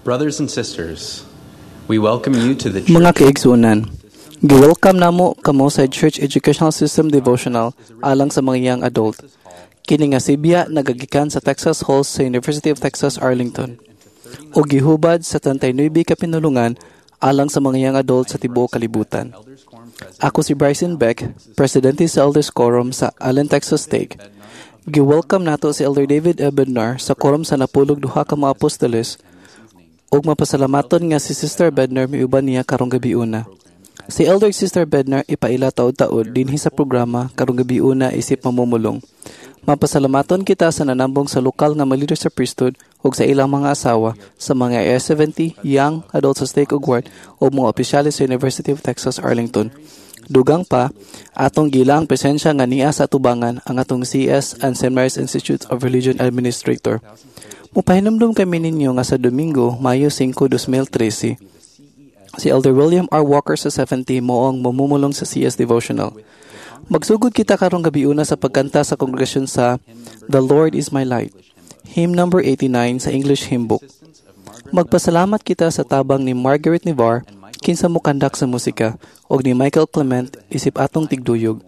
Brothers and sisters, we welcome you to the Mga kaigsuonan, gi-welcome namo kamo sa Church Educational System Devotional alang sa mga young adult. Kini nga sibya nagagikan sa Texas Hall sa University of Texas Arlington ug gihubad sa 39 ka pinulungan alang sa mga young adult sa tibuok kalibutan. Ako si Bryson Beck, presidente sa Elders Quorum sa Allen, Texas Stake. Gi-welcome nato si Elder David A. Bednar sa quorum sa napulog duha ka mga apostoles ug mapasalamaton nga si Sister Bednar miuban niya karong gabiuna. Si Elder Sister Bednar ipaila taod-taod dinhi sa programa karong gabiuna isip mamumulong. Mapasalamaton kita sa nanambong sa lokal nga mga leader sa priesthood ug sa ilang mga asawa sa mga AS70, young adults sa stake ug ward ug mga opisyales sa University of Texas Arlington. Dugang pa, atong gilang presensya nga niya sa atubangan ang atong CS and St. Mary's Institute of Religion Administrator. Mupahinumdum kami ninyo nga sa Domingo, Mayo 5, 2013, si Elder William R. Walker sa 70 mo ang mamumulong sa CS Devotional. Magsugod kita karong gabiuna sa pagkanta sa kongregasyon sa The Lord is My Light, hymn number 89 sa English Hymn Book. Magpasalamat kita sa tabang ni Margaret Nivar kinsa mokandak sa musika ug ni Michael Clement isip atong tigduyog.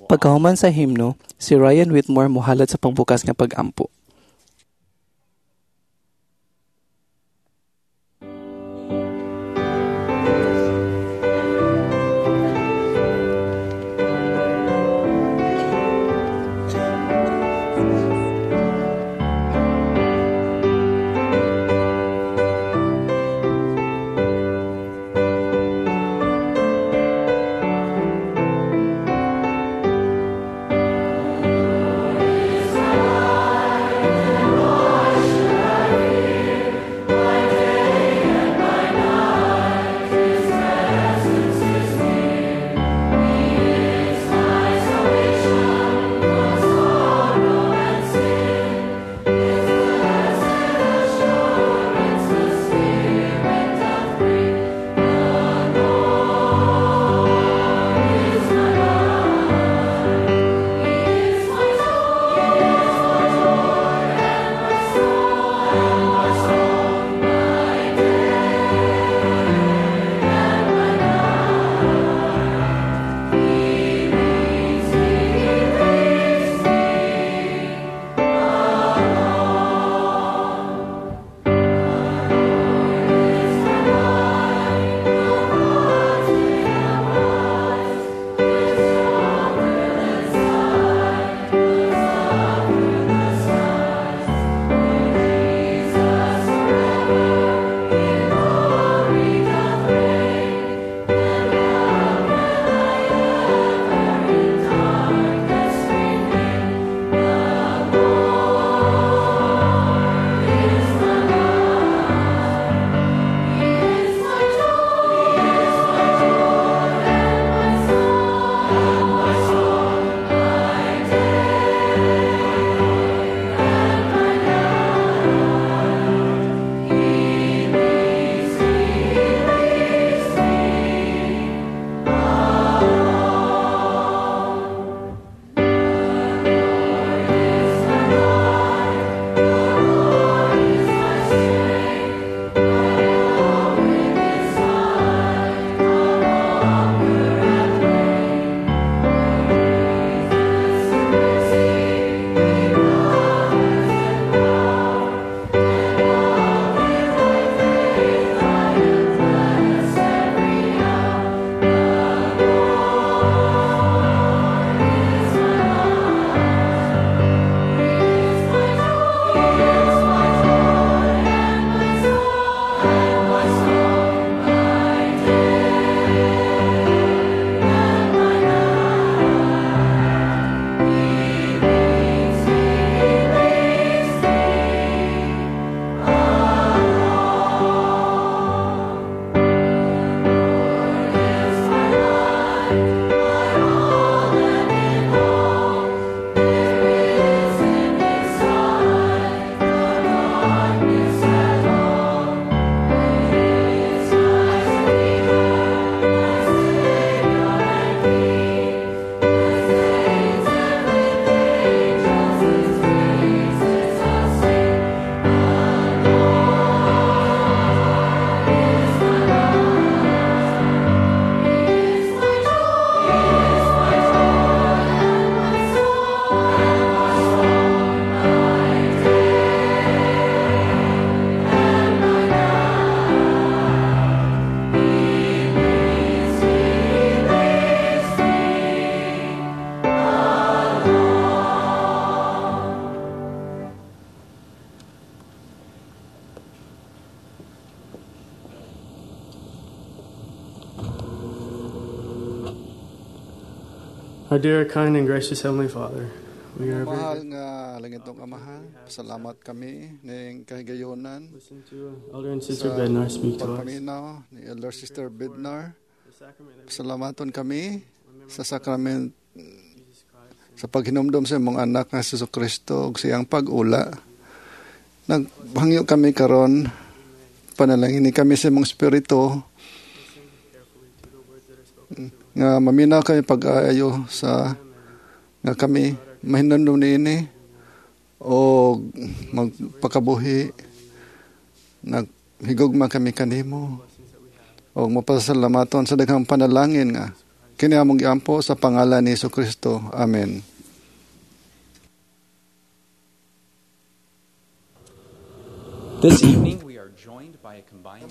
Pagkahuman sa himno, si Ryan Whitmore mohalad sa pangbukas nga pag-ampo. Is my life. Our dear, kind, and gracious Heavenly Father, we are very Mahal nga langitong Amahan, salamat kami ning kahigayonan listen to Elder and Sister sa Bednar speak to us. pagpaminaw ni Elder Sister Bednar. The sacrament that Salamaton kami sa sakrament Jesus Christ sa paghinumdom sa imong anak nga si Kristo ug siyang pag-ula. Naghangyo kami karon, panalangin ni kami sa imong espiritu listen carefully to the words that are spoken to us. nga maminaw kami pag-aayo sa nga kami mahinumdom niini o magpakabuhi, naghigugma kami kanimo Blessings that we have. o mapasalamaton sa daghang panalangin nga kini among giampo sa pangalan ni Kristo. Amen. This evening, we are joined by a combined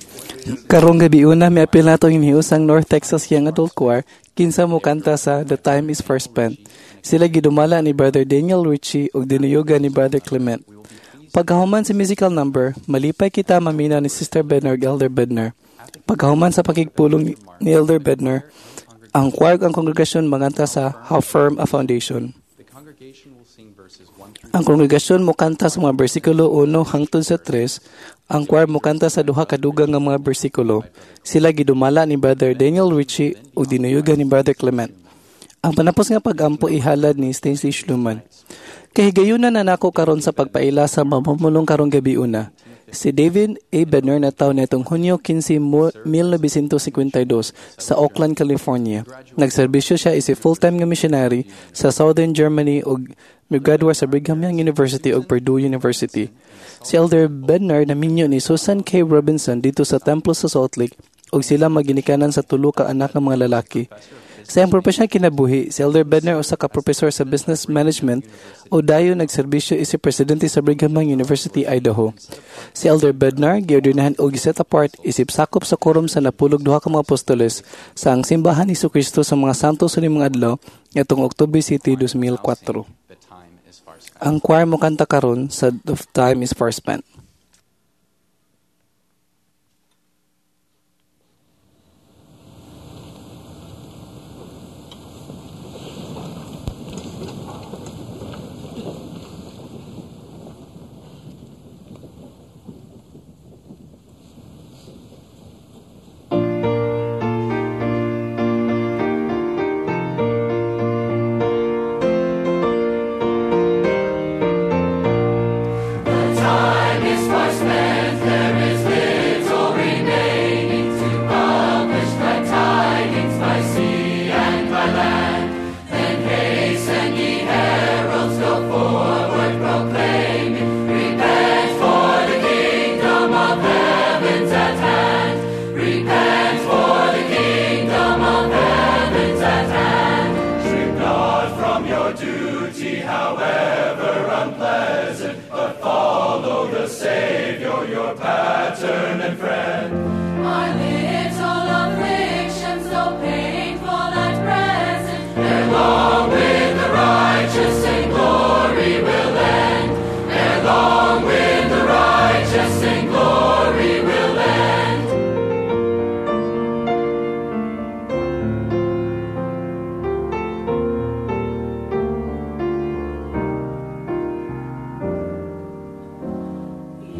Karong gabi una, miapil nato ang North Texas Young Adult Choir kinsa mo kanta sa The Time Is Far Spent. Sila gidumala ni Brother Daniel Ritchie ug dinuyugan ni Brother Clement. Pagkahuman sa musical number, malipay kita mamina ni Sister Bednar ug Elder Bednar. Pagkahuman sa pakigpulong ni Elder Bednar, ang choir ug ang kongregasyon manganta sa How Firm a Foundation. The congregation will sing verses 1 through Ang kongregasyon mokanta sa mga bersikulo 1 hangtod sa 3, ang choir mokanta sa duha ka dugang nga mga bersikulo. Sila gidumala ni Brother Daniel Ritchie ug dinuyugan ni Brother Clement. Ang panapos nga pag-ampo ihalad ni Stacy Schluman. Kahigayunan na nako karon sa pagpaila sa mamumulong karong gabi una. Si David A. Bednar nataw nitong Hunyo 15, 1952 sa Oakland, California. Nagserbisyo siya isip full-time nga missionary sa Southern Germany ug migraduate sa Brigham Young University ug Purdue University. Si Elder Bednar naminyo ni Susan K. Robinson dito sa templo sa Salt Lake ug sila maginikanan sa tulo ka anak nga mga lalaki. Sa iyang profesyonal kinabuhi, si Elder Bednar usa ka profesor sa business management o dayon nagserbisyo isip presidente sa Brigham Young University, Idaho. Si Elder Bednar giordinahan og giset apart isip sakop sa quorum sa 92 ka mga apostoles sa ang simbahan ni Kristo sa mga santos sa limang adlaw ngadtong October City 2004. The Time Is Far Spent. Ang choir mo kanta karon sa The Time Is Far Spent. Time is far spent, there is little remaining to publish glad tidings by sea and by land. Then hasten ye heralds, go forward proclaiming, repent, for the kingdom of heaven's at hand. Repent, for the kingdom of heaven's at hand. Shrink not from your duty, however unpleasant, but follow the Savior, your pattern and friend. Our little afflictions, though painful at present, ere long with the righteous in glory will end. Ere long with the righteous in glory will end.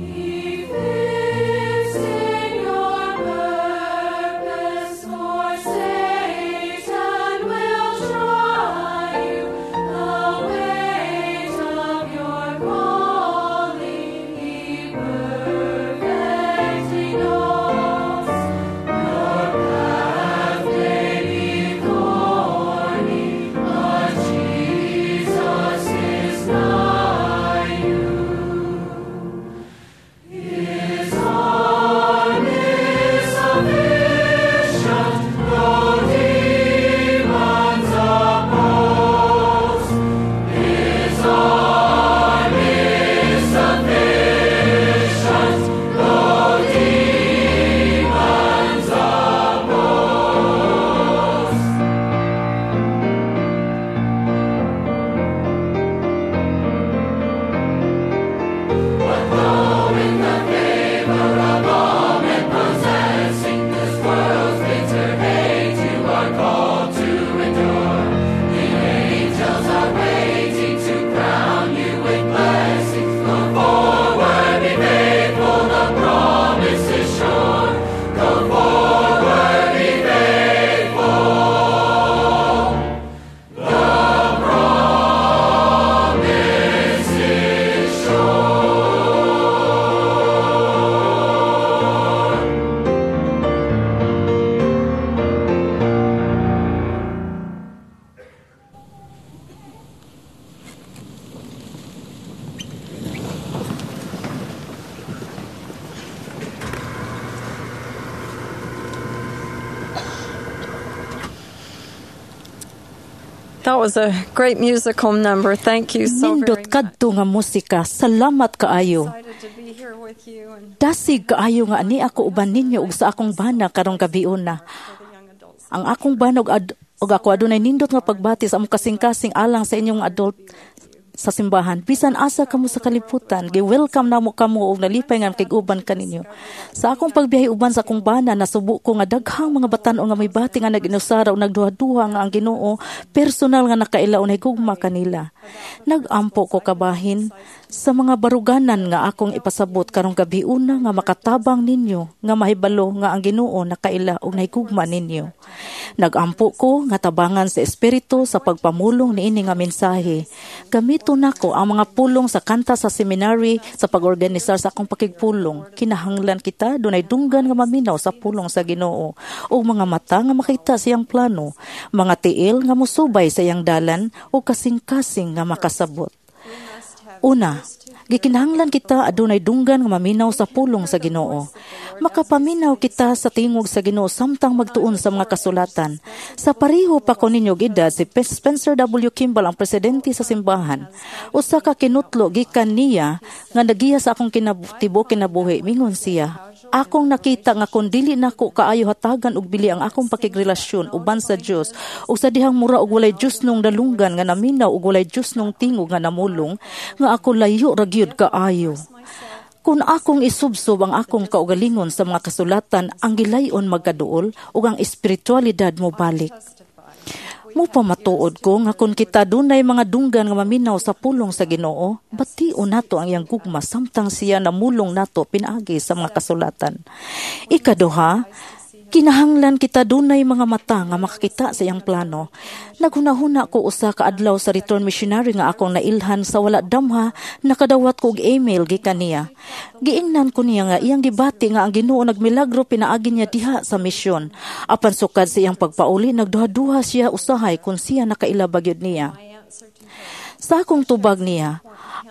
Ye fifth That was a great musical number. Thank you so very Nindot much. Kadto nga musika. Salamat kaayo. Excited to be here with you and Dasig kaayo nga ani ako uban ninyo ug sa akong bana karong gabiuna. for the young adults. Ang akong bana ug ako adunay nindot nga pagbati sa among kasing-kasing alang sa inyong adult sa simbahan. Bisan asa kamo sa kalibutan, gi-welcome namo kamo ug nalipay nga makig-uban kaninyo. Sa akong pagbiyahe uban sa akong bana, nasubo ko nga daghang mga batan-on nga may bati nga nag-inusara ug nagduha-duha nga ang Ginoo personal nga nakaila og nahigugma kanila. Nag-ampo ko kabahin sa mga baruganan nga akong ipasabot karong gabiuna nga makatabang ninyo nga mahibalo nga ang Ginoo nakaila og nahigugma ninyo. Nag-ampo ko nga tabangan sa Espiritu sa pagpamulong niini nga mensahe. Gamito nako ang mga pulong sa kanta sa seminary sa pag-organisar sa akong pakigpulong. Kinahanglan kita dunay dunggan nga maminaw sa pulong sa Ginoo ug mga mata nga makita siyang plano, mga tiil nga musubay sa iyang dalan ug kasing-kasing nga makasabot. Una, gikinahanglan kita adunay dunggan nga maminaw sa pulong sa Ginoo. Makapaminaw kita sa tingog sa Ginoo samtang magtuon sa mga kasulatan. Sa pareho pa ko ninyo og edad, si Spencer W. Kimball ang presidente sa simbahan. Usa ka kinutlo gikan niya nga nagiya sa akong tibuok kinabuhi. Mingon siya, "Akong nakita nga kung dili nako kaayo hatagan og bili ang akong pakigrelasyon uban sa Dios ug sa dihang mura og walay Dios nung dalunggan nga naminaw ug walay Dios nung tingog nga namulong, nga ako layo ra gyud kaayo. Kung akong isubsob ang akong kaugalingon sa mga kasulatan, ang gilayon magkaduol ug ang espiritualidad mo balik. Mupamatuod ko nga kung kita dunay mga dunggan nga maminaw sa pulong sa Ginoo, bation nato ang iyang gugma samtang siya namulong nato pinaagi sa mga kasulatan." Ikaduha, kinahanglan kita dunay mga mata nga makakita sa iyang plano. Naghunahuna ko usa ka adlaw sa return missionary nga akong nailhan sa wala damha, nakadawat ko og email gikan niya. Giingnan ko niya nga iyang gibati nga ang Ginoo nagmilagro pinaagi niya diha sa misyon. Apan sukad sa iyang pagpauli, nagduha-duha siya usahay kung siya nakaila ba gyud niya. Sa akong tubag niya,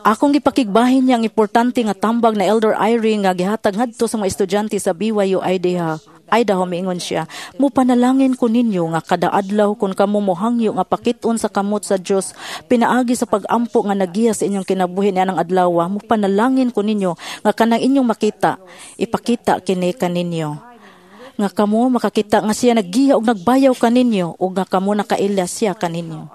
akong gipakigbahin niya ang importante nga tambag na Elder Eyring nga gihatag ngadto sa mga estudyante sa BYU Idaho. Idaho. Miingon siya, "Mupanalangin ko ninyo nga kada adlaw kung kamo mohangyo nga pakit-on sa kamot sa Dios pinaagi sa pag-ampo nga nagiya sa inyong kinabuhi nianang adlaw, mupanalangin ko ninyo nga kanang inyong makita, ipakita kini kaninyo. Nga kamo makakita nga siya naggiya og nagbayaw kaninyo ug nga kamo nakaila siya kaninyo."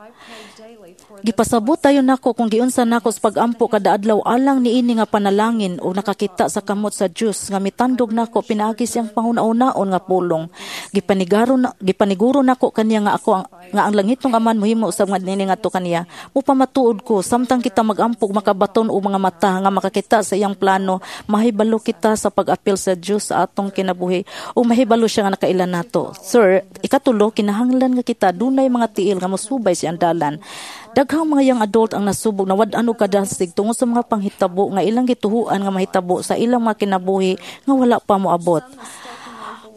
Gipasabot tayo nako kung giunsa nako sa pag-ampo kada adlaw alang niini nga panalangin o nakakita sa kamot sa Dios nga mitandog nako pinaagi siyang panghuna-unaon nga pulong. Gipanigaro na, gipaniguro nako kaniya nga ako ang, nga ang langitnong Amahan mohimo usab nga niini ngadto kaniya. Mupamatuod ko samtang kita mag-ampo makabaton og mga mata nga makakita sa iyang plano, mahibalo kita sa pag-apil sa Dios sa atong kinabuhi o mahibalo siya nga nakaila nato. Sir, ikatulo, kinahanglan nga kita dunay mga tiil nga mosubay sa iyang dalan. Daghang mga young adult ang nasubog nawad-an og kadasig tungod sa mga panghitabo nga ilang gituhuan nga mahitabo sa ilang mga kinabuhi nga wala pa moabot.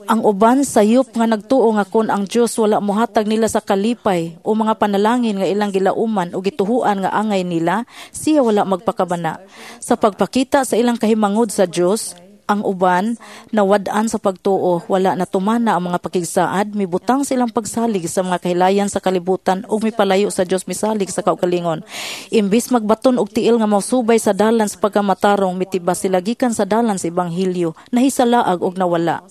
Ang uban sayop nga nagtuo nga kon ang Dios wala mohatag nila sa kalipay o mga panalangin nga ilang gilauman o gituhuan nga angay nila, siya wala magpakabana. Sa pagpakita sa ilang kahimangod sa Dios, ang uban nawad-an sa pagtuo, wala na tumana ang mga pakigsaad, mibutang silang pagsalig sa mga kahilayan sa kalibutan ug mipalayo sa Dios, misalig sa kaugalingon. Imbis magbaton og tiil nga mosubay sa dalan sa pagkamatarong, mitiba sila gikan sa dalan sa ebanghelyo, nahisalaag og nawala.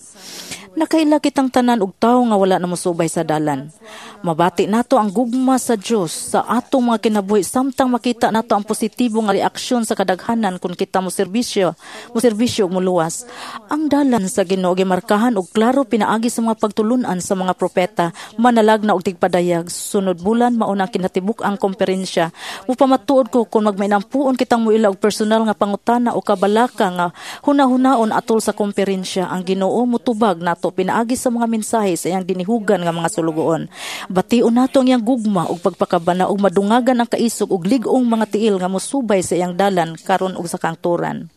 Nakaila kitang tanan og tawo nga wala na mosubay sa dalan. Mabati nato ang gugma sa Dios sa atong mga kinabuhi samtang makita nato ang positibo nga reaksyon sa kadaghanan kung kita mo serbisyo ug moluwas. Ang dalan sa Ginoo gimarkahan og klaro pinaagi sa mga pagtulun-an sa mga propeta, manalagna og tigpadayag. Sunod bulan mao na kinatibuk ang komperensya. Mupamatuod ko kung magmainampuon kitang muila og personal nga pangutana o kabalaka nga hunahunaon atol sa komperensya, ang Ginoo mutubag nato pinaagi sa mga mensahe sa iyang dinihugan nga mga sulugoon. Bation nato ang iyang gugma ug pagpakabana ug madungagan ang kaisog ug lig-ong mga tiil nga mosubay sa iyang dalan karon ug sa kangturan.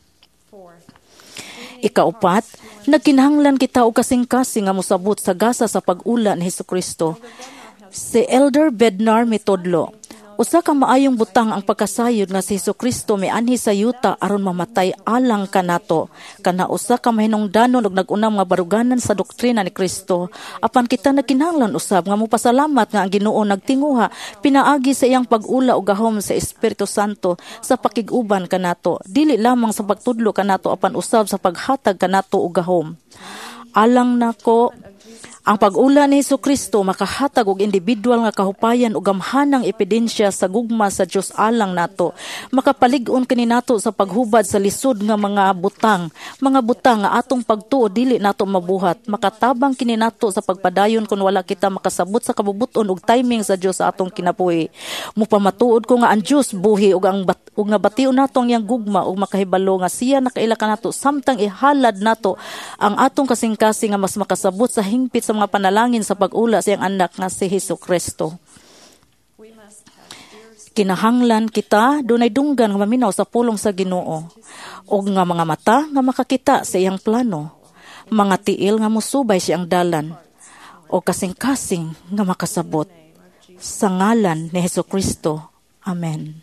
Ikaupat, nagkinahanglan kita og kasing-kasing nga mosabot sa gasa sa pag-ula ni Hesukristo. Si Elder Bednar mitudlo, Usa ka maayong butang ang pagkasayod nga si Hesukristo mianhi sa yuta aron mamatay alang kanato. Kana usa ka mahinungdanon og nag-unam nga baruganan sa doktrina ni Kristo. Apan kita nagkinahanglan usab nga mopasalamat nga ang Ginoo nagtinguha pinaagi sa iyang pag-ula og gahom sa Espiritu Santo sa pakig-uban kanato. Dili lamang sa pagtudlo kanato apan usab sa paghatag kanato og gahom. Alang nako, ang pag-ula ni Hesukristo makahatag og individual nga kahupayan ug gamhanang ebidensya sa gugma sa Dios alang nato. Makapalig-on kini nato sa paghubad sa lisod nga mga butang nga atong pagtuo dili nato mabuhat. Makatabang kini nato sa pagpadayon kun wala kita makasabot sa kabubuton ug timing sa Dios sa atong kinabuhi. Mupamatuod ko nga ang Dios buhi ug ang ug nga bation nato ang iyang gugma ug makahibalo nga siya nakaila kanato samtang ihalad nato ang atong kasing-kasing nga mas makasabot sa hingpit sa mga panalangin sa pag-ula sa iyang anak nga si Hesukristo. Kinahanglan kita dunay dunggan nga maminaw sa pulong sa Ginoo ug nga mga mata nga makakita sa iyang plano, mga tiil nga mosubay sa iyang dalan o kasing-kasing nga makasabot sa ngalan ni Hesukristo. Amen.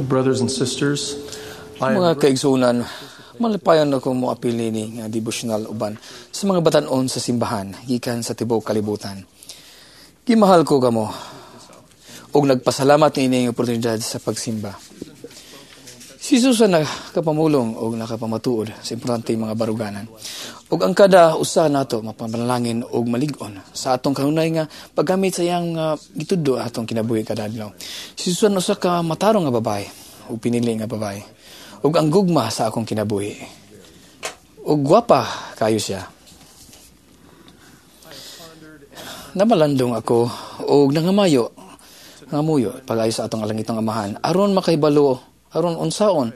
Brothers and sisters, mga kaigsunan, malipayon ako moapil nini nga devotional uban sa mga batan-on sa simbahan gikan sa tibuok kalibutan. Gimahal ko kamo ug nagpasalamat niini nga oportunidad sa pagsimba. Si Susan nakapamulong og nakapamatuod sa importante mga baruganan. Ug ang kada usa nato mapamanalangin og malig-on sa atong kanunay nga paggamit sa iyang gitudlo atong kinabuhi kada adlaw. Si Susan usa ka matarong nga babae ug pinili nga babae. Ug ang gugma sa akong kinabuhi. Ug gwapa kayo siya. Namalandong ako ug nangamayo, nangamuyo pag-ayo sa atong alangitong amahan aron makahibalo, aron unsaon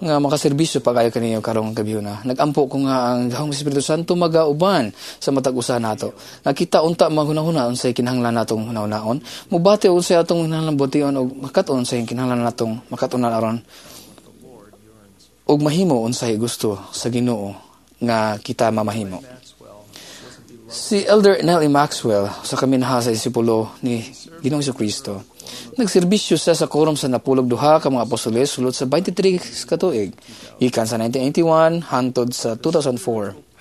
nga makaserbisyo pag-ayo kaniyo karong gabhiona. Nagampo ko nga ang gahom sa Espiritu Santo magauban sa matag usa nato. Nga kita unta maghunahuna unsay kinahanglan natong hunahunaon, mubati unsay atong kinahanglan bution ug makat-on unsay kinahanglan natong makat-onan aron ug mahimo unsay gusto sa Ginoo nga kita mamahimo. Si Elder Nellie Maxwell sa kaminaha sa disipulo ni Ginoong Hesukristo, nagserbisyo siya sa quorum sa 92 ka mga apostoles sulod sa 23 ka tuig, gikan sa 1981 hantod sa 2004.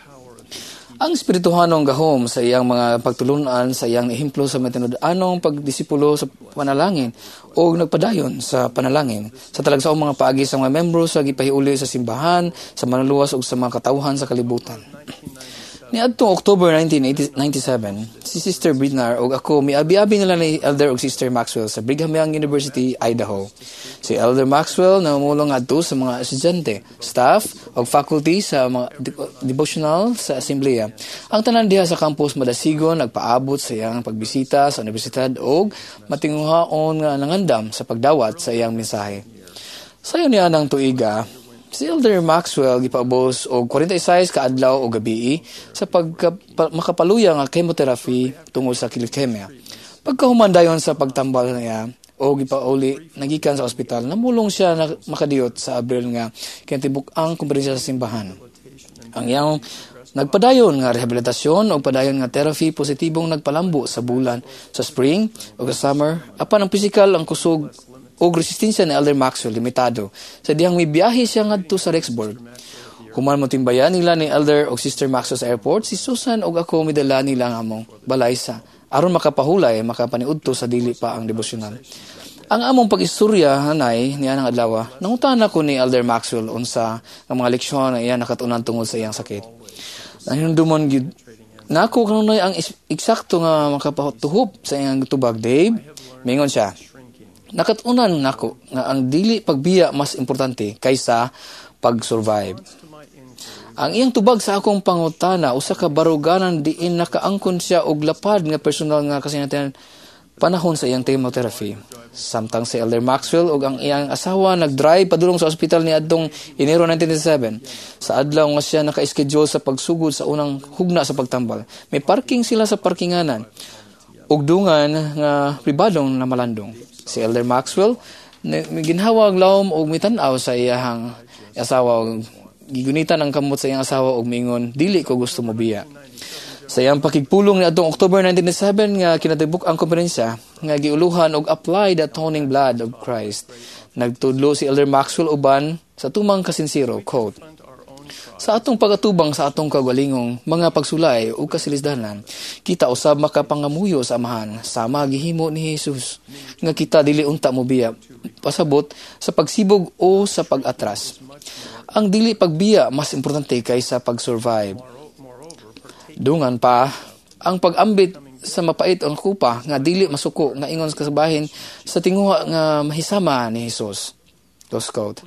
Ang espirituhanong gahom sa iyang mga pagtulunan sa iyang ehemplo sa matinud-anong pagdisipulo sa panalangin o nagpadayon sa panalangin sa talagsaong mga paagi sa mga membro sa gipahiuli sa simbahan, sa manluluwas ug sa mga katawhan sa kalibutan. Niadtong October 1997, si Sister Bridnar ug ako miabi-abi nila ni Elder ug Sister Maxwell sa Brigham Young University, Idaho. Si Elder Maxwell namumulong ngadto sa mga estudyante, staff ug faculty sa mga devotional sa asembleya. Ang tanan diha sa campus madasigon nagpaabot sa iyang pagbisita sa universidad ug matinguhaon nga nangandam sa pagdawat sa iyang mensahe. Sayo niya ng tuiga, si Elder Maxwell gipaubos og 46 ka adlaw o gabii sa makapaluya nga chemotherapy tungod sa leukemia. Pagkahuman dayon sa pagtambal niya o gipauli nagikan sa ospital, namulong siya na makadiyot sa Abril nga kinatibuk ang kumperensya sa simbahan. Ang iyang nagpadayon nga rehabilitasyon o padayon nga therapy positibong nagpalambo sa bulan sa spring o sa summer, apan ang pisikal ang kusog og resistensya ni Elder Maxwell limitado sa dihang mibiyahe siya ngadto sa Rexburg. Human motimbayan nila ni Elder og Sister Maxwell sa airport, si Susan og ako midala nila ang among balay sa aron makapahulay makapaniudto sa dili pa ang debosyonal. Ang among pag-istorya hanay niya ng adlaw, nangutana ko ni Elder Maxwell unsa ang mga leksyon na iya nakatunan tungod sa iyang sakit. Nahinumdumon gyud nako kanunay ang eksakto nga makapatuhop sa iyang tubag, Dave. Mingon siya, nakatunan nako nga ang dili pagbiya mas importante kaysa pag-survive. Ang iyang tubag sa akong pangutana usa ka baruganan diin nakaangkon siya og lapad nga personal nga kasinatian panahon sa iyang chemotherapy. Samtang si Elder Maxwell ug ang iyang asawa nagdrive padulong sa ospital niadtong Enero 1997. Sa adlaw nga siya naka-schedule sa pagsugod sa unang hugna sa pagtambal. May parking sila sa parkinganan ug dungan nga pribadong namalandong. Si Elder Maxwell ginhawa ang lawom og mitan-aw sa iyang asawa og gigunitan ang kamot sa iyang asawa og miingon, dili ko gusto mobiya. Sa iyang pakigpulong niadtong October 1997 nga kinatibuk ang komperensya nga giuluhan og Apply the Atoning Blood of Christ, nagtudlo si Elder Maxwell uban sa tumang kasinsero, quote, "Sa atong pagatubang sa atong kaugalingong mga pagsulay ug kasilisdanan, kita usab makapangamuyo sa Amahan sama gihimo ni Jesus nga kita dili unta mobiya pasabot sa pagsibog o sa pag-atras. Ang dili pagbiya mas importante kaysa pag-survive. Dungan pa, ang pag-ambit sa mapait ang kupa nga dili masuko nga ingon sa kasabahin sa tinguha nga mahisama ni Jesus." Close quote.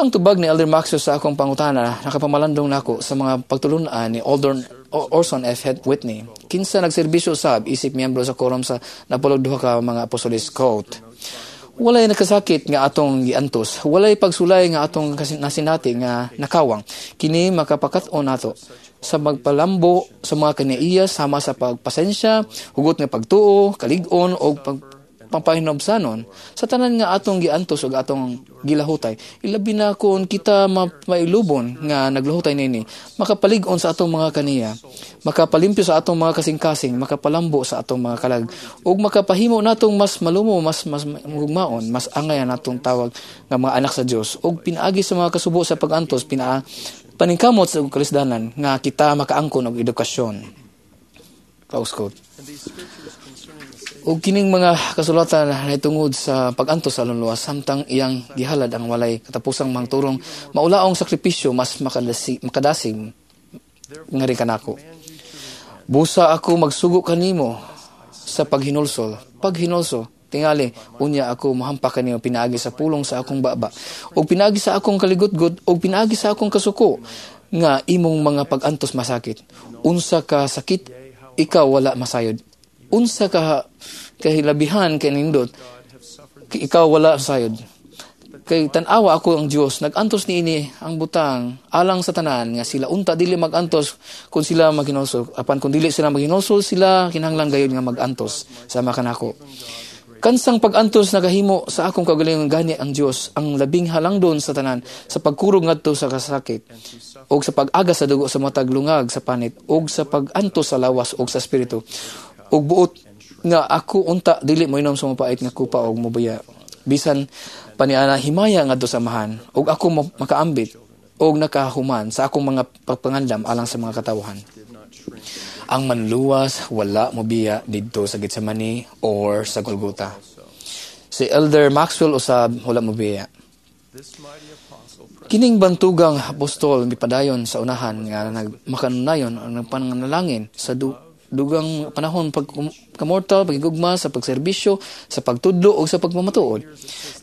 Ang tubag ni Elder Maxwell sa akong pangutana nakapamalandong nako sa mga pagtulunan ni Orson F. Whitney, kinsa nagserbisyo usab isip miyembro sa quorum sa 92 ka mga apostoles, quote, "Walay nakasakit nga atong giantos, walay pagsulay nga atong nasinati nga nakawang. Kini makapakat-on nato sa magpalambo sa mga kanaiya sama sa pagpasensya, hugot nga pagtuo, kalig-on o pampahinobsanon sa tanan nga atong giantos ug atong gilahutay. Ilabi na kon kita mailubon nga naglahutay nini, makapalig-on sa atong mga kaniya, makapalimpyo sa atong mga kasing-kasing, makapalambo sa atong mga kalag, ug makapahimo natong mas malumo, mas gugmaon, mas angay natong tawag nga mga anak sa Dios, ug pinaagi sa mga kasubo sa pag-antos, paningkamot sa kalisdanan nga kita makaangkon og edukasyon." Close quote. Ug kining mga kasulatan naitungod sa pag-antos sa alunluwas samtang iyang gihalad ang walay katapusang mangturong maulaong sakripisyo mas makadasig nga rin kanako. Busa ako magsugo kanimo sa paghinulsol. Paghinulsol, tingali, unya ako mohampak kanimo pinaagi sa pulong sa akong baba, ug pinaagi sa akong kaligutgot, ug pinaagi sa akong kasuko nga imong mga pag-antos masakit. Unsa ka sakit ikaw wala masayod. Unsa ka kahilabihan kanindot ikaw wala sayod. Kay tan-awa ako ang Dios nag-antos niini ang butang alang sa tanan nga sila unta dili mag-antos kung sila maghinulsol, apan kung dili sila maghinulsol sila kinahanglan gayud nga mag-antos sama kanako. Kansang pag-antos nagahimo sa akong kaugalingon gani ang Dios ang labing halangdon sa tanan sa pagkurog ngadto sa kasakit og sa pag-agas sa dugo sa matag lungag sa panit og sa pag-antos sa lawas og sa espiritu og buot nga ako unta dili moinom sa mapait nga kupa og mobuya bisan paniana himaya ngadto sa Amahan og ako makaambit og nakahuman sa akong mga pagpangandam alang sa mga katawhan. Ang manluwas wala mobiya didto sa Getsemani or sa Golgota. Si Elder Maxwell usab wala mobiya. Kining bantugang apostol mipadayon sa unahan nga nagmakanunayon ang nagpananalangin sa dugang panahon pagkamortal, pagigugma, sa pagserbisyo, sa pagtudlo o sa pagmamatuod.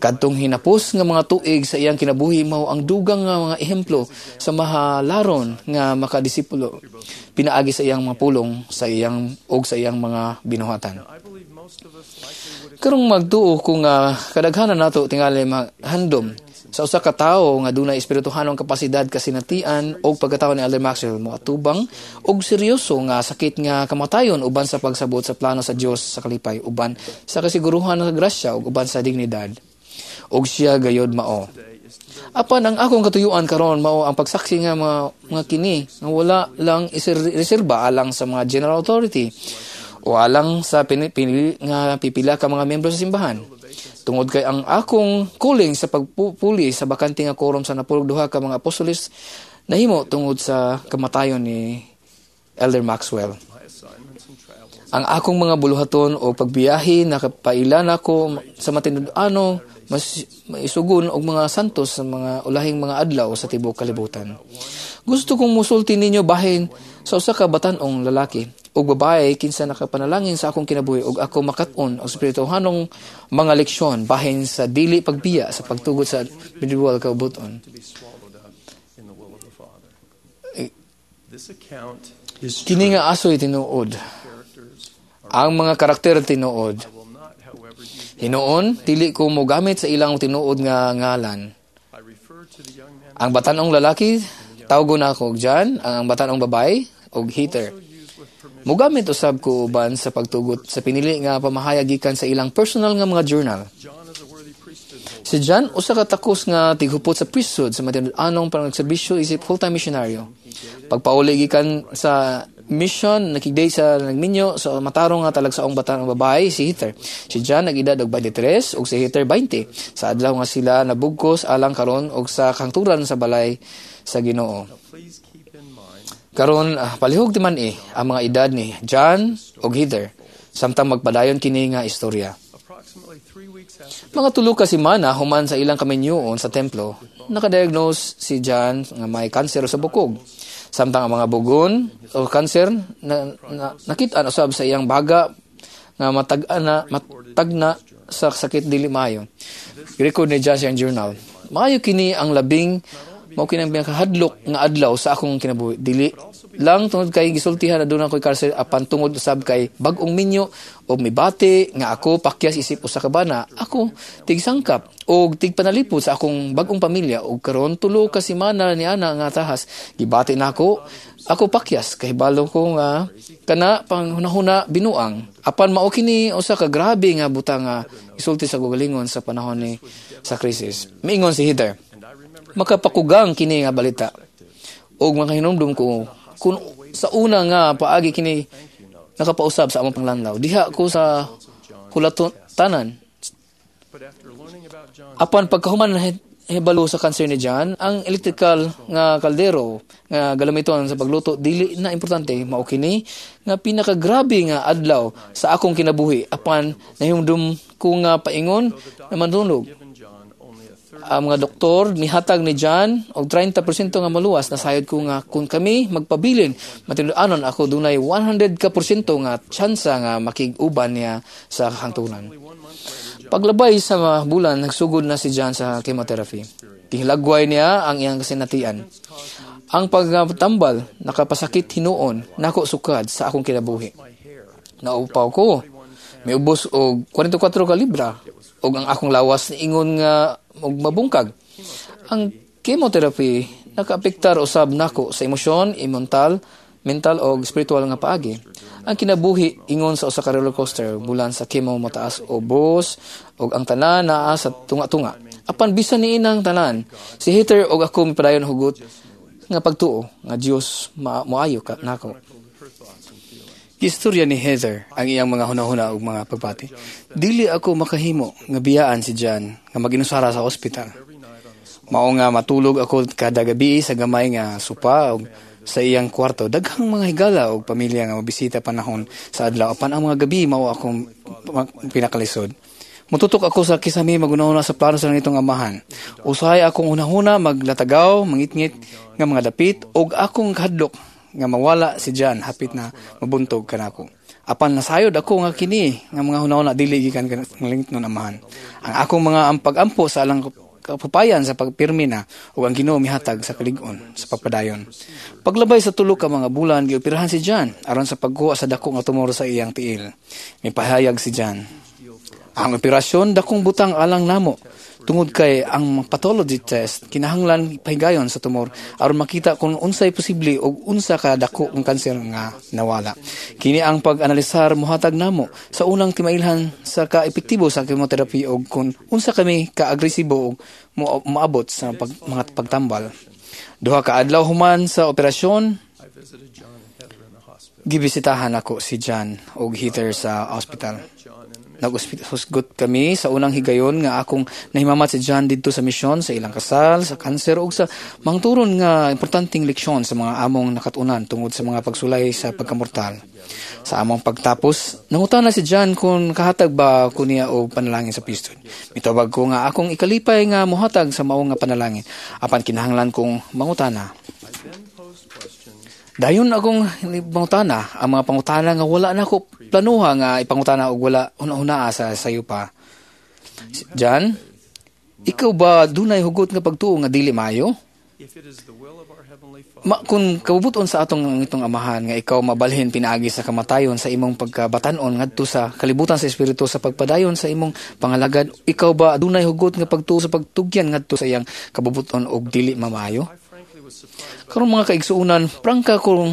Kadtong hinapos nga mga tuig sa iyang kinabuhi mao ang dugang nga mga ehemplo sa mahalaron nga makadisipulo pinaagi sa iyang mga pulong sa iyang og sa iyang mga binuhatan. Karong magtuo kung kadaghanan nato tingali handom sa usa ka tawo nga dunay espirituhanong kapasidad, kasinatian og pagkatawo ni Elder Maxwell moatubang og seryoso nga sakit nga kamatayon uban sa pagsabot sa plano sa Dios sa kalipay, uban sa kasiguruhan sa grasya ug uban sa dignidad. Og siya gayod mao. Apan ang akong katuyuan karon mao ang pagsaksi nga mga kini nga wala lang reserba alang sa mga general authority o alang sa pinili nga pipila ka mga miyembro sa simbahan. Tungod kay ang akong calling sa pagpuli sa bakante nga quorum sa 92 ka mga apostoles nahimo tungod sa kamatayon ni Elder Maxwell. Ang akong mga buluhaton o pagbiyahe nakapaila nako sa matinud-ano mas maisugon og mga santos sa mga ulahing mga adlaw sa tibuok kalibutan. Gusto kong musulti ninyo bahin sa usa ka batan-ong lalaki ug babae kinsa nakapanalangin sa akong kinabuhi ug ako makat-on og espirituhanong mga leksyon bahin sa dili pagbiya sa pagtugot sa individual kaubuton. Kini nga asoy tinuod. Ang mga karakter tinuod. Hinuon, dili ko mogamit sa ilang tinuod nga ngalan. Ang batan-ong lalaki, tawgon ako og John, ang batan-ong babae og Heather. Mogamit usab ko uban sa pagtugot sa pinili nga pamahayag gikan sa ilang personal nga mga journal. Si John usa ka takos nga tighupot sa priesthood sa matinud-anong panagserbisyo isip full-time misyonaryo. Pagpauli gikan sa mission, nakigday sa nagminyo sa matarong nga talagsaong batan ang babae si Heather. Si John nag-edad og 23 ug si Heather 20. Sa adlaw nga sila nabugkos alang karon og sa kangturan sa balay sa Ginoo. Karon palihog ti man ang mga edad ni John ug Heather samtang magpadayon kini nga istorya. Mga tulo ka semana human sa ilang kaminyuon sa templo, nakadiagnose si John nga may kanser sa bukog. Samtang ang mga bugon o kanser na nakit-an usab sa iyang baga nga matagna sa sakit dili maayo. Girecord ni John sa iyang journal. Maayo kini ang labing mao kini ang pinakahadlok nga adlaw sa akong kinabuhi. Dili lang tungod kay gisultihan na aduna koy kanser apan tungod usab kay bag-ong minyo og mibati nga ako pakyas isip usa ka bana, ako tigsangkap og tigpanalipod sa akong bag-ong pamilya og karon tulo ka semana ni ana nga tahas gibati nako ako pakyas kahibalo ko nga kana panghunahuna binuang apan mao kini usa ka grabe nga butang nga isulti sa gugalingon sa panahon ni sa krisis. Miingon si Heather, makapakugang kini nga balita og makahinumdum ko kun sa una nga paagi kini nakapausab sa among panglanlaw diha ko sa hulatanan. Apan pagkahuman hibalo sa kanser ni John, ang electrical nga kaldero nga galamiton sa pagluto dili na importante. Mao kini nga pinakagrabe nga adlaw sa akong kinabuhi apan nahimdum ko nga paingon na mandunog. Ang mga doktor nihatag ni John og 30% nga maluwas. Nasayod ko nga kung kami magpabilin matinud-anon ako dunay 100% nga tsansa nga makig-uban niya sa hangtunan. Paglabay sa bulan, nagsugod na si John sa chemotherapy. Gihilagway niya ang iyang kasinatian. Ang pagtambal nakapasakit hinuon nako sukad sa akong kinabuhi. Naupaw ko, miubos og 44 ka libra og ang akong lawas niingon nga og mabungkag. Ang chemotherapy nakaapektar usab nako sa emosyon, mental og spiritual nga paagi. Ang kinabuhi ingon sa usa ka roller coaster, bulan sa chemo mataas o bus og ang tanan naa sa tunga-tunga. Apan bisan niinang tanan, si Heather og ako mipadayon hugot nga pagtuo nga Dios moayo ka nako. Istorya ni Heather ang iyang mga hunahuna ug mga pagbati. Dili ako makahimo nga biyaan si John nga maginusara sa ospital. Mao nga matulog ako kada gabi sa gamay nga sopa ug sa iyang kwarto. Daghang mga higala og pamilya nga mabisita panahon sa adlaw apan ang mga gabi mao akong pinakalisod. Mututok ako sa kisami magunahuna sa plano sa nitong amahan. Usahay akong hunahuna maglatagaw, mangitngit nga mga dapit og akong kahadlok nga mawala si John hapit na mabuntog kanako. Apan nasayod ako nga kini nga mga hunahuna dili gikan kanang amahan. Ang akong mga pag-ampo sa alang kapupayan sa pagpirmi na ug ang Ginoo mihatag sa kalig-on sa pagpadayon. Paglabay sa tulo ka mga bulan gioperahan si John aron sa pagkuha sa dako nga tumor sa iyang tiil. Mipahayag si John. Ang operasyon dakong butang alang namo tungod kay ang pathology test kinahanglan pahigayon sa tumor aron makita kung unsay posible og unsa ka dako ang kanser nga nawala. Kini ang pag-analisar mohatag namo sa unang timailhan sa ka-epektibo sa chemotherapy og kung unsa kami ka-agresibo og moabot sa mga pagtambal. Duha ka adlaw human sa operasyon, gibisitahan ako si John og Heather sa hospital. Naghusgot kami sa unang higayon nga akong nahimamat si John didto sa misyon, sa ilang kasal, sa kanser ug sa mangturon nga importanteng leksyon sa mga among nakatunan tungod sa mga pagsulay sa pagkamortal. Sa among pagtapos, nangutana si John kung kahatag ba ko niya og panalangin sa priesthood. Mitubag ko nga akong ikalipay nga mohatag sa mao nga panalangin apan kinahanglan kong mangutana. Dayon akong pangutana, ang mga pangutana nga wala na ko planuha nga ipangutana og wala hunahunaa sa sayo pa. John, ikaw ba dunay hugot nga pagtuo nga dili maayo? Kung kabubuton sa atong itong amahan nga ikaw mabalhin pinaagi sa kamatayon sa imong pagkabatan-on ngadto sa kalibutan sa espiritu sa pagpadayon sa imong pangalagad, ikaw ba dunay hugot nga pagtuo sa pagtugyan ngadto sa iyang kabubuton og dili mamaayo? Karon mga kaigsuonan, prangka kong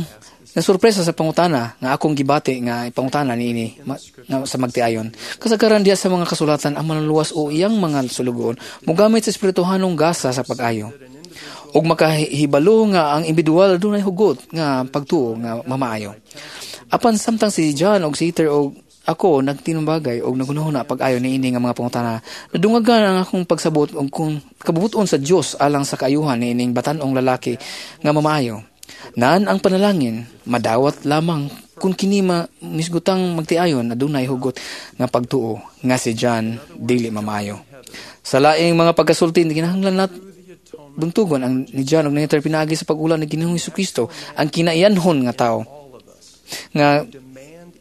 nasurpresa sa pangutana nga akong gibati nga ipangutana niini nga sa magtiayon. Kasagaran diha sa mga kasulatan ang manluluwas o iyang mga sulugoon mogamit sa espirituhanong gasa sa pag-ayo. Ug makahibalo nga ang individual adunay hugot nga pagtuo nga mamaayo. Apan samtang si John og si Heather og ako nagtinumbagay og naghunahuna pag-ayo niini nga mga pangutana, nadungagan ang akong pagsabot og kung kabubuton sa Dios alang sa kaayuhan niining batan-ong lalaki nga mamaayo. Naan ang panalangin madawat lamang kung kini misgutang magtiayon adunay hugot nga pagtuo nga si John dili mamaayo. Sa laing mga pagkasulti, kinahanglan nat buntugon ang ni John og ni Heather pinaagi sa pag-ula ni Ginoong Hesukristo ang kinaiyanhon nga tao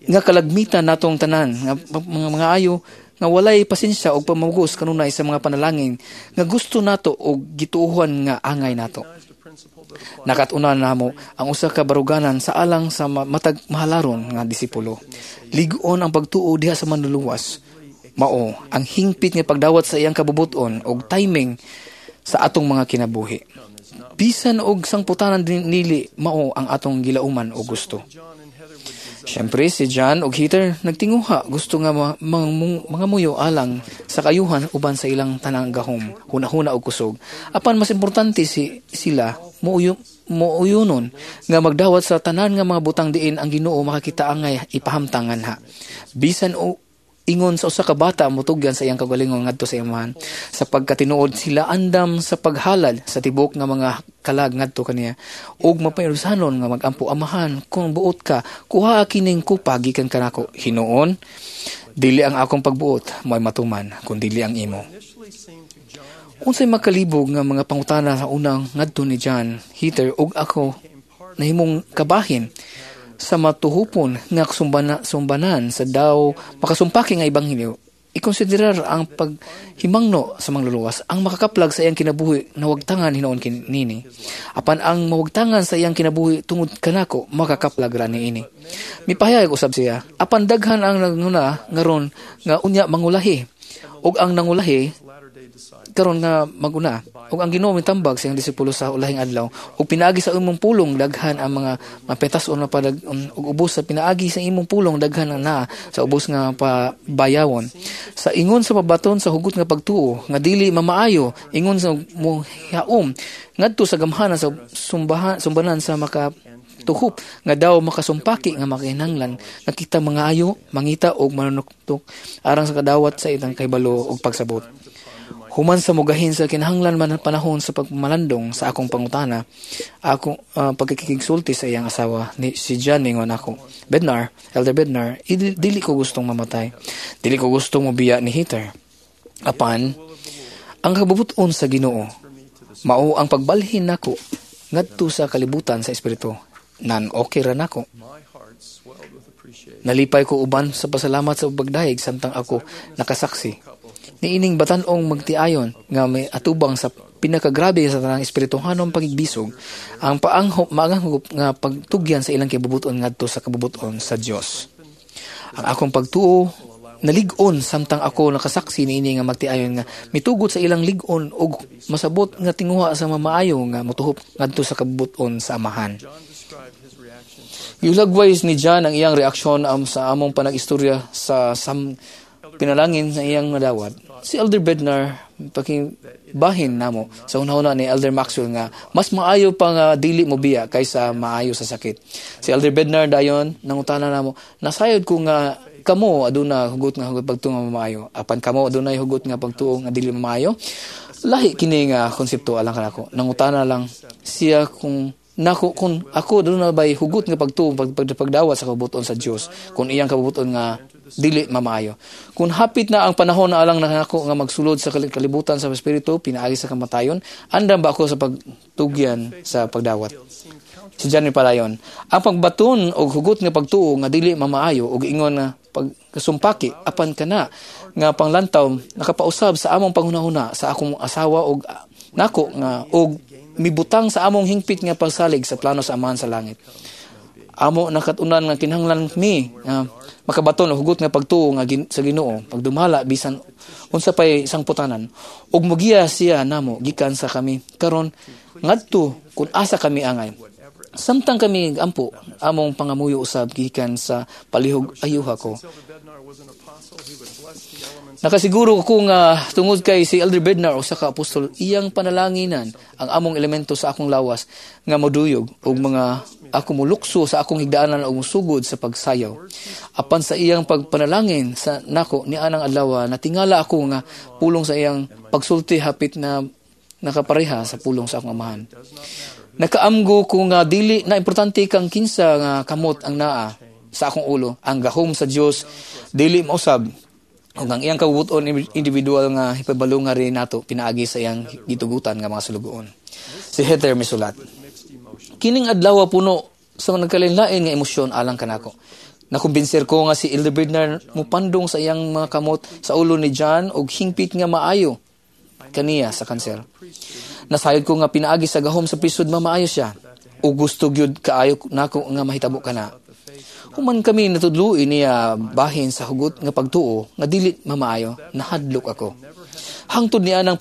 nga kalagmitan natong tanan nga mga ayo nga walay pasensya og pamugos kanunay sa mga panalangin nga gusto nato og gituohan nga angay nato. Nakat-unan namo ang usa ka baruganan sa alang sa matag mahalaron nga disipulo. Lig-on ang pagtuo diha sa manluluwas. Mao ang hingpit nga pagdawat sa iyang kabubuton og timing sa atong mga kinabuhi. Bisan og sangputanan nili mao ang atong gilauman o gusto. Siyempre, si John og Heather nagtinguha gusto nga mga muyo alang sa kayuhan uban sa ilang tanang gahom, hunahuna og kusog. Apan mas importante sila muuyunon nga magdawat sa tanan nga mga butang diin ang Ginoo makakita angay ipahamtangan ha. Bisan o ingon sa usa ka bata motugyan sa iyang kaugalingon ngadto sa iyang sa pagkatinuod sila andam sa paghalad sa tibok nga mga kalag ngadto kaniya ug mapayrusanon nga magampo amahan kung buot ka kuha kining kupa gikan kanako hinuon dili ang akong pagbuot mo'y matuman kun dili ang imo. Unsay makalibog nga mga pangutana sa unang ngadto ni John Heather ug ako nahimong kabahin sa matuhupon nga sumbanan sa daw makasumpaki nga ebanghelyo, ikonsiderar ang paghimangno sa mangluluwas ang makakaplag sa iyang kinabuhi na wagtangan hinuon kinini. Apan ang mawagtangan sa iyang kinabuhi tungod kanako makakaplag ra niini. Mipahayag usab siya, apan daghan ang nanguna ngaron nga unya mangulahi ug ang nangulahi karon nga maguna ug ang Ginoo mitambag sa iyang disipulo sa ulahing adlaw ug pinaagi sa imong pulong daghan ang mga mapetas-on na padag ug ubos sa pinaagi sa imong pulong daghan ang naa sa ubos nga pabayawon sa ingon sa pabaton sa hugot nga pagtuo nga dili mamaayo ingon sa mohaom ngadto sa gamhanan sa sumbanan sa maka tuhop nga daw makasumpaki nga makinahanglan nga kita mga ayo mangita og manunuktok alang sa kadawat sa itang kahibalo og pagsabot. Human sa mugahin sa kinahanglan man panahon sa pagmalandong sa akong pangutana, akong pagkikigsulti sa iyang asawa ni si John ningon ako, Bednar, Elder Bednar, dili ko gustong mamatay. Dili ko gustong mobiya ni Heather. Apan ang kabubuton sa Ginoo mao ang pagbalhin nako ngadto sa kalibutan sa espiritu. Nan okay ra nako. Nalipay ko uban sa pasalamat sa pagdayeg samtang ako nakasaksi niining batan-ong magtiayon nga may atubang sa pinakagrabe sa tanang espirituhanong pagigbisog ang maanghop nga pagtugyan sa ilang kibubuton ngadto sa kabubuton sa Dios. Ang akong pagtuo nalig-on samtang ako nakasaksi niini nga magtiayon nga mitugot sa ilang lig-on og masabot nga tinguha sa mamaayo nga motuhop ngadto sa kabubuton sa Amahan. Giulagway ni John ang iyang reaksyon sa among panag-istorya sa pinalangin sa iyang nadawat. Si Elder Bednar pakibahin namo sa hunahuna ni Elder Maxwell nga mas maayo pa nga dili mo biya kaysa maayo sa sakit. Si Elder Bednar dayon nangutana namo, nasayod ko nga kamo aduna hugot nga hugot pagtuo nga maayo, apan kamo adunay hugot nga pagtuo nga dili maayo. Lahi kini nga konsepto alang kanako. Nangutana lang siya kung nako kung ako aduna bay hugot nga pagtuo pagdawat sa kabubuton sa Dios kung iyang kabubuton nga dili mamaayo. Kung hapit na ang panahon na alang nako nga magsulod sa kalibutan sa espiritu pinaagi sa kamatayon, andam ba ako sa pagtugyan sa pagdawat? Si John palayon, ang pagbaton og hugot nga pagtuo nga dili mamaayo og ingon nga pagkasumpaki apan kana nga panglantaw nakapausab sa among panghunahuna sa akong asawa og nako nga og mibutang sa among hingpit nga pagsalig sa plano sa Amahan sa langit. Amo nakatunan nga kinahanglan mi makabaton og hugot nga pagtuo nga sa Ginoo pagdumala bisan unsa pay sangputanan ug mogiya siya namo gikan sa kami karon ngadto kun asa kami angay. Samtang kami ampo, among pangamuyo usab gikan sa palihog ayuha ko. Nakasiguro ko nga tungod kay si Elder Bednar usa ka apostol, iyang panalanginan ang among elemento sa akong lawas nga moduyog og mga ako molukso sa akong higdaanan og mosugod sa pagsayaw. Apan sa iyang pagpanalangin sa nako nianang adlaw, natingala ako nga pulong sa iyang pagsulti hapit na nakapareha sa pulong sa akong amahan. Nakaamgo ko nga dili na importante kang kinsa nga kamot ang naa sa akong ulo. Ang gahom sa Dios dili mausab ug ang iyang kabubuton individual nga hipabalo nga rin nato pinaagi sa iyang gitugutan nga mga sulugoon. Si Heather misulat. Kining adlaw puno sa nagkalain-lain nga emosyon alang kanako. Nakumbinser ko nga si Elder Bednar mupandong sa iyang mga kamot sa ulo ni John og hingpit nga maayo kaniya sa kanser. Nasayod ko nga pinaagi sa gahom sa prisod mamaayo siya. O gusto gyud kaayo nako nga mahitabo kana. Human kami natudloi niya bahin sa hugot nga pagtuo nga dili mamaayo, nahadlok ako. Hangtod niya ng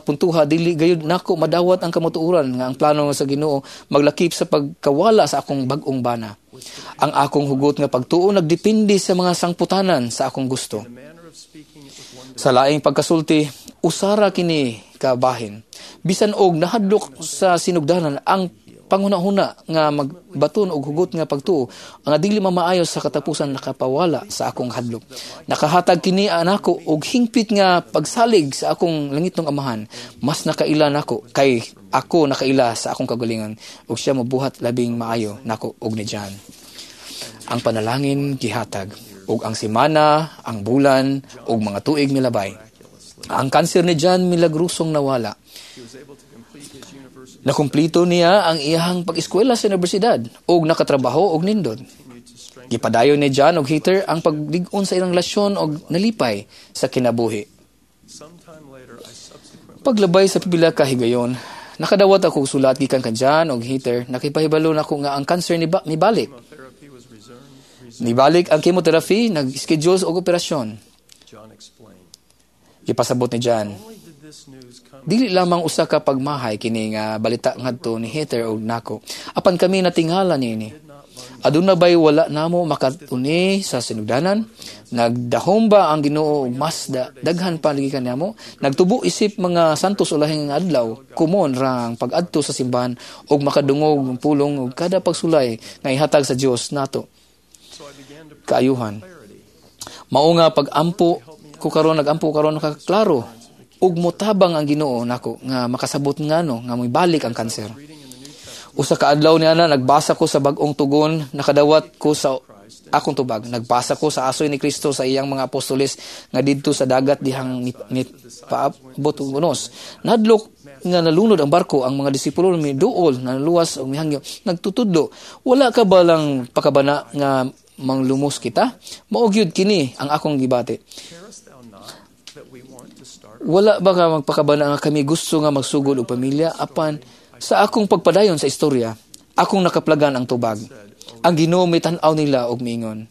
puntuha dili gayud nako madawat ang kamatuoran nga ang plano sa Ginoo maglakip sa pagkawala sa akong bag-ong bana. Ang akong hugot nga pagtuo nagdepende sa mga sangputanan sa akong gusto. Sa laing pagkasulti, usara kini kabahin. Bisan og nahadlok sa sinugdanan ang panghuna-huna nga magbaton og hugot nga pagtuo ang dili mamaayo sa katapusan nakapawala sa akong hadlok. Nakahatag kini anako og hingpit nga pagsalig sa akong langitnong amahan. Mas nakaila nako kay ako nakaila sa akong kagalingon ug siya mobuhat labing maayo nako og ni John. Ang panalangin gihatag ug ang semana, ang bulan ug mga tuig milabay. Ang kanser ni John milagrosong nawala. Nakumplito niya ang iyahang pag-eskwela sa universidad ug nakatrabaho og nindot. Gipadayon ni John og Heather ang paglig-on sa ilang relasyon og nalipay sa kinabuhi. Paglabay sa pipila ka higayon, nakadawat ako og sulat gikan ka John og Heather, nakipahibalo nako nga ang kanser nibalik. Nibalik ang chemotherapy, nag-schedule og operasyon. Gipasabot ni John, dili lamang usa ka pagmahay kini nga balita ngadto ni Heather og nako. Apan kami natingala niini. Aduna bay wala namo makatuni sa sinugdanan? Nagdahom ba ang Ginoo og mas daghan pa gikan namo? Nagtubo isip mga santos ulahing adlaw, kumon ra ang pag-adto sa simbahan og makadungog og pulong og kada pagsulay nga ihatag sa Dios nato. Kaayuhan. Mao nga pag-ampo ko karon, nagampo karon nakaklaro ug motabang ang Ginoo nako nga makasabot ngano nga moibalik ang kanser. Usa ka adlaw niya na nagbasa ko sa bag-ong tugon, nakadawat ko sa akong tubag. Nagbasa ko sa asoy ni Kristo sa iyang mga apostoles nga didto sa dagat dihang ni paabot og unos. Nahadlok nga nalunod ang barko, ang mga disipulo miduol, naluwas og mihangyo, nagtutudlo. Wala ka ba lang pakabana nga manglumos kita? Mao gyud kini ang akong gibati. Wala ba ka magpakabana nga kami gusto nga magsugod og pamilya? Apan sa akong pagpadayon sa istorya, akong nakaplagan ang tubag. Ang Ginoo mitan-aw nila og miingon,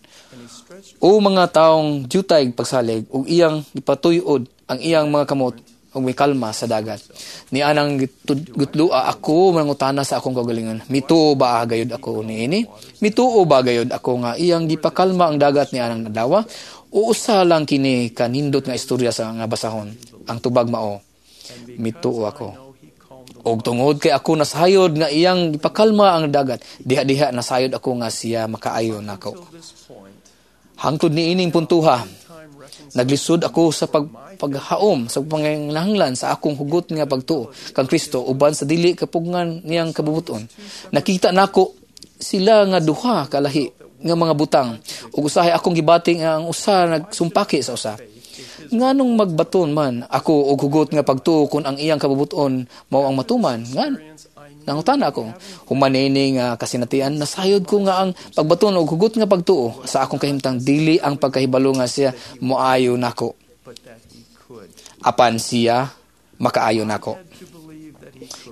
o mga taong jutay pagsalig ug iyang gipatuyod ang iyang mga kamot ug mikalma sa dagat. Nianang gutloa ako mangutana sa akong kaugalingon, mituo ba gayud ako niini? Mituo ba gayud ako nga iyang gipakalma ang dagat nianang adlaw? O usa lang kini kanindot nga istorya sa nga basahon? Ang tubag mao, mituo ako. Og tungod kay ako nasayod nga iyang gipakalma ang dagat, diha-diha nasayod ako nga siya makaayo nako. Hangtod niining puntuha, naglisod ako sa paghaom sa panginahanglan sa akong hugot nga pagtuo kang Kristo uban sa dili kapugngan niyang kabubuton. Nakita nako sila nga duha kalahi nga mga butang ug usahay akong gibati nga ang usa nagsumpaki sa usa. Nganong magbaton man ako og hugot nga pagtuo kun ang iyang kabubuton mao ang matuman? Ngan nangutana ako. Human niini nga kasinatian, nasayod ko nga ang pagbaton og hugot nga pagtuo sa akong kahimtang dili ang pagkahibalo nga siya moayo nako. Apan siya makaayo nako.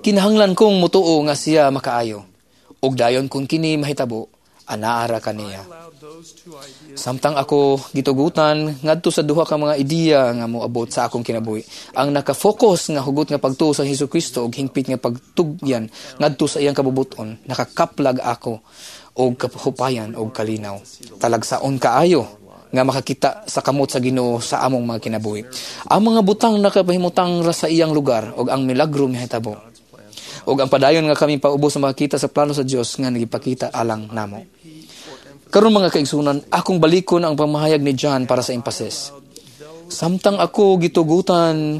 Kinahanglan kong mutuo nga siya makaayo. Ug dayon kung kini mahitabo, Anaara kaniya. Samtang ako gitugutan ngadto sa duha ka mga ideya nga moabot sa akong kinabuhi. Ang naka-focus nga hugot nga pagtuo sa Hesukristo ug hingpit nga pagtugyan ngadto sa iyang kabubuton, nakakaplag ako og kahupayan og kalinaw. Talagsaon kaayo nga makakita sa kamot sa Ginoo sa among mga kinabuhi. Ang mga butang nakapahimutang ra sa iyang lugar ug ang milagro mihitabo. Ug ang padayon nga kami paubos sa makakita sa plano sa Dios nga nagipakita alang namo. Karon mga kaigsunan, akong balikon ang pamahayag ni John para sa emphasis. Samtang ako gitugutan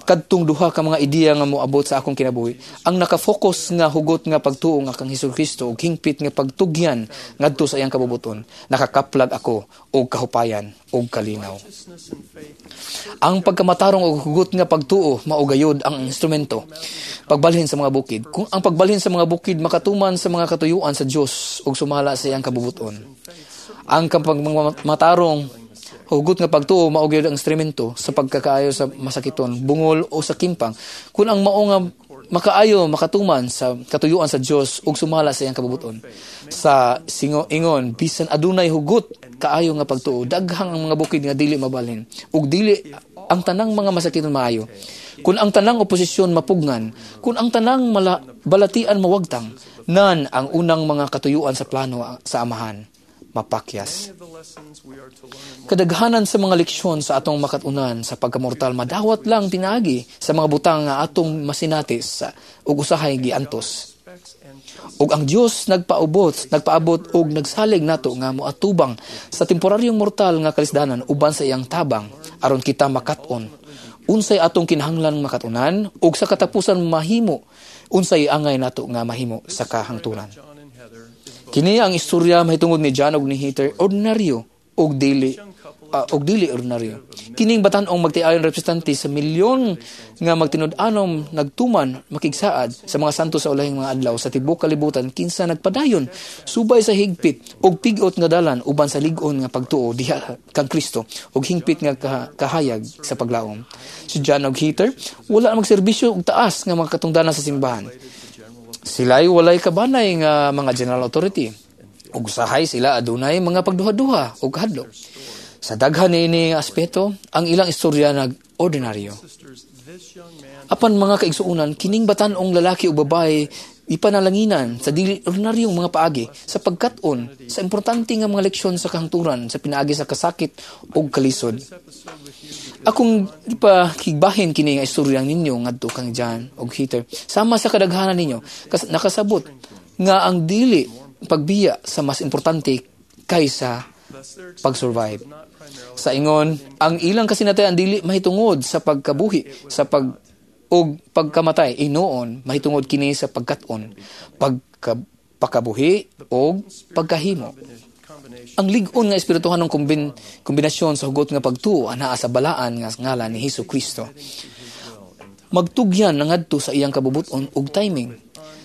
kadtong duha ka mga ideya nga moabot sa akong kinabuhi, ang naka-focus nga hugot nga pagtuo nga kang Hesukristo ug hingpit nga pagtugyan ngadto sa iyang kabubuton, nakakaplag ako og kahupayan og kalinaw. Ang pagkamatarong og hugot nga pagtuo mao gayud ang instrumento pagbalhin sa mga bukid. Kung ang pagbalhin sa mga bukid makatuman sa mga katuyuan sa Dios ug sumala sa iyang kabubuton. Ang pagmatarong hugot nga pagtuo mao gyud ang instrumento sa pagkakaayo sa masakiton, bungol o sa kimpang. Kung ang mao nga makaayo makatuman sa katuyuan sa Dios ug sumala sa iyang kabubuton. Sa singo ingon bisan adunay hugot kaayo nga pagtuo, daghang ang mga bukid nga dili mabalhin ug dili ang tanang mga masakiton maayo. Kung ang tanang oposisyon mapugnan, kung ang tanang balatian mawagtang, nan ang unang mga katuyuan sa plano sa Amahan mapakyas. Kadaghanan sa mga leksyon sa atong makatunan sa pagkamortal madawat lang pinaagi sa mga butang nga atong masinati sa ug usahay giantos. Ug ang Dios nagpaabot og nagsalig nato nga moatubang sa temporaryong mortal nga kalisdanan uban sa iyang tabang aron kita makat-on. Unsay atong kinahanglan makatunan ug sa katapusan mahimo unsay angay nato nga mahimo sa kahangturan. Kini ang istorya mahitungod ni John og ni Heather, ordinaryo og dili ordinaryo. Kining batan-ong magtiayon representante sa milyon nga magtinud-anom nagtuman makigsaad sa mga santo sa ulahing mga adlaw sa tibuok kalibutan kinsa nagpadayon subay sa higpit og pigot nga dalan uban sa lig-on nga pagtuo diha kang Kristo og hingpit nga kahayag sa paglaom. Si John og Heather wala magserbisyo og taas nga mga katungdanan sa simbahan. Sila'y walay kabanay nga mga general authority. Ug usahay sila adunay mga pagduha-duha ug kahadlok. Sa daghan niini nga aspeto, ang ilang istorya nag-ordinaryo. Apan mga kaigsuonan, kining batan-ong lalaki o babae ipanalanginan sa dili ordinaryong mga paagi sa pagkat-on sa importante nga mga leksyon sa kahangturan sa pinaagi sa kasakit ug kalisod. Akong ipakigbahin kini nga istorya ninyo ngadto kang John og Heather. Sama sa kadaghanan ninyo nakasabot nga ang dili pagbiya sa mas importante kaysa pag-survive. Sa ingon, ang ilang kasinatian dili mahitungod sa pagkabuhi, sa pag og pagkamatay, inoon mahitungod kini sa pagkat-on, pagkapakabuhi og pagkahimo. Ang lig-on nga espirituhanong kombinasyon sa hugot nga pagtuo anaa sa balaan nga ngalan ni Hesus Kristo. Magtugyan nangadto sa iyang kabubuton og timing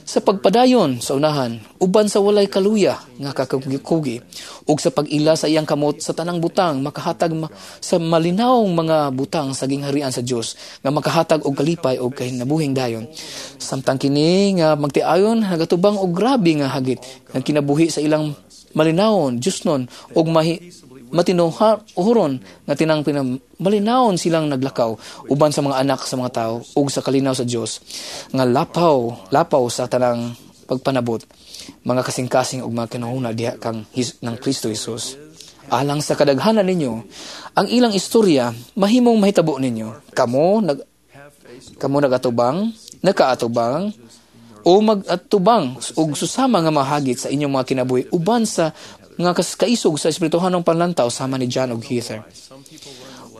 sa pagpadayon sa unahan uban sa walay kaluya nga kakakugi ug sa pag-ila sa iyang kamot sa tanang butang makahatag sa malinawong mga butang sa gingharian sa Dios nga makahatag og kalipay og kahinabuhing dayon. Samtang kini nga magtiayon nagatubang og grabe nga hagit nga kinabuhi sa ilang malinawon Diosnon og matinuhoron nga tinang malinawon silang naglakaw uban sa mga anak sa mga tao ug sa kalinaw sa Dios nga lapaw sa tanang pagpanabot mga kasing-kasing ug mga kinahuna diha kang ng Kristo Jesus. Alang sa kadaghanan ninyo ang ilang istorya mahimong mahitabo ninyo. Kamo nagatubang, nakaatubang o magatubang og susama nga mahagit sa inyong mga kinabuhi uban sa nga kaisog sa espirituhanong panlantaw sama ni John og Heather.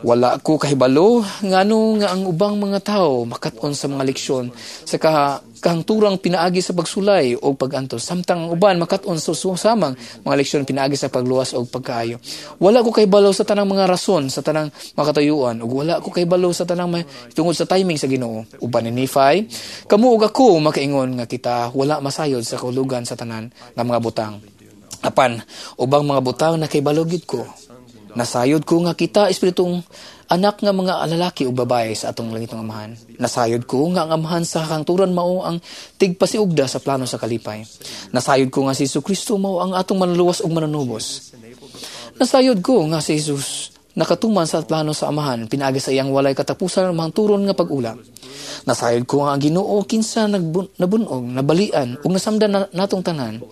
Wala ko kahibalo ngano nga ang ubang mga tao makat-on sa mga leksyon sa kahangturang pinaagi sa pagsulay o pag-antos, samtang ang uban makat-on sa susamang mga leksyon pinaagi sa pagluwas o pagkaayo. Wala ko kahibalo sa tanang mga rason sa tanang makatayuan ug wala ko kahibalo sa tanang tungod sa timing sa Ginoo. Uban ni Nephi, kamo ug ako makaingon nga kita wala masayod sa kahulugan sa tanan nga mga butang. Apan ubang mga butang na kahibalo gid ko Nasayod ko nga kita espiritong anak nga mga lalaki ug babae sa atong langitong Amahan. Nasayod ko nga ang Amahan sa kangturan mao ang tigpasiugda sa plano sa kalipay. Nasayod ko nga si Hesus Kristo mao ang atong manluluwas ug manunubos. Nasayod ko nga si Jesus nakatuman sa plano sa Amahan pinaagi sa iyang walay katapusan mahangturon nga pag-ula. Nasayod ko nga ang Ginoo kinsa nabunog, nabalian ug nasamdan natong tanan,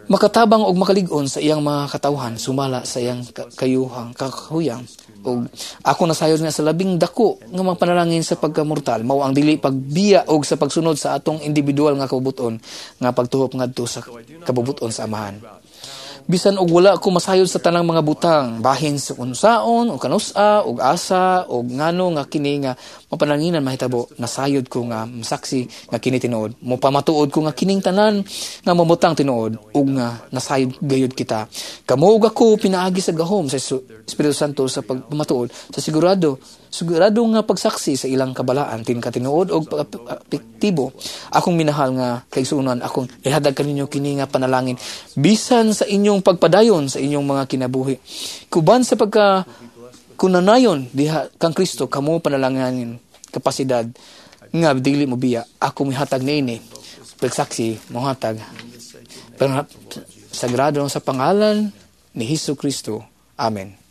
makatabang og makalig-on sa iyang mga katawhan sumala sa iyang kayuhang kakahuyang. Og ako nasayod nga sa labing dako nga mga panalangin sa pagkamortal mao ang dili pagbiya og sa pagsunod sa atong individual nga kabubuton nga pagtuhop ngadto sa kabubuton sa Amahan. Bisan og wala ko masayod sa tanang mga butang bahin sa unsaon o kanusa og asa og ngano nga kini nga mapananginan mahitabo, nasayod ko nga masaksi nga kini tinuod. Mopamatuod ko nga kining tanan nga mamutang tinuod ug nga nasayod gayud kita. Kamo ug ako pinaagi sa gahom sa Espiritu Santo sa pagpamatuod sa sigurado nga pagsaksi sa ilang kabalaan tin katinuod og epektibo. Akong minahal nga kaigsuonan, akong ihatag kaninyo kini nga panalangin bisan sa inyong pagpadayon sa inyong mga kinabuhi. Kuban sa pagka kunanayon diha kang Kristo kamo panalangin kapasidad nga dili mo biya. Ako mihatag niini pagsaksi mohatag sagrado sa pangalan ni Hesus Kristo. Amen.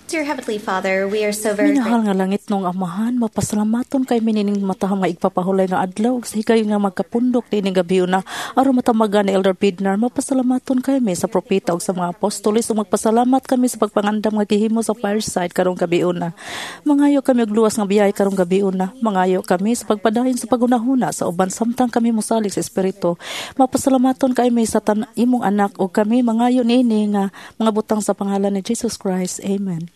Dear Heavenly Father, we are so very Minahal nga langit nong Amahan, mapasalamaton kay minining matahang nga igpapahulay nga adlaw ug sa higayon nga magkapundok niining gabiuna aron matamagan ni Elder Bednar. Mapasalamaton kami sa propeta ug sa mga apostoles ug magpasalamat kami sa pagpangandam nga gihimo sa fireside karong gabiuna. Mangayo kami og luwas nga biyahe karong gabiuna. Mangayo kami sa pagpadayon sa paghunahuna sa uban samtang kami mosalig sa espiritu. Mapasalamaton kami sa imong anak ug kami mangayo niini nga mga butang sa pangalan ni Jesus Christ. Amen.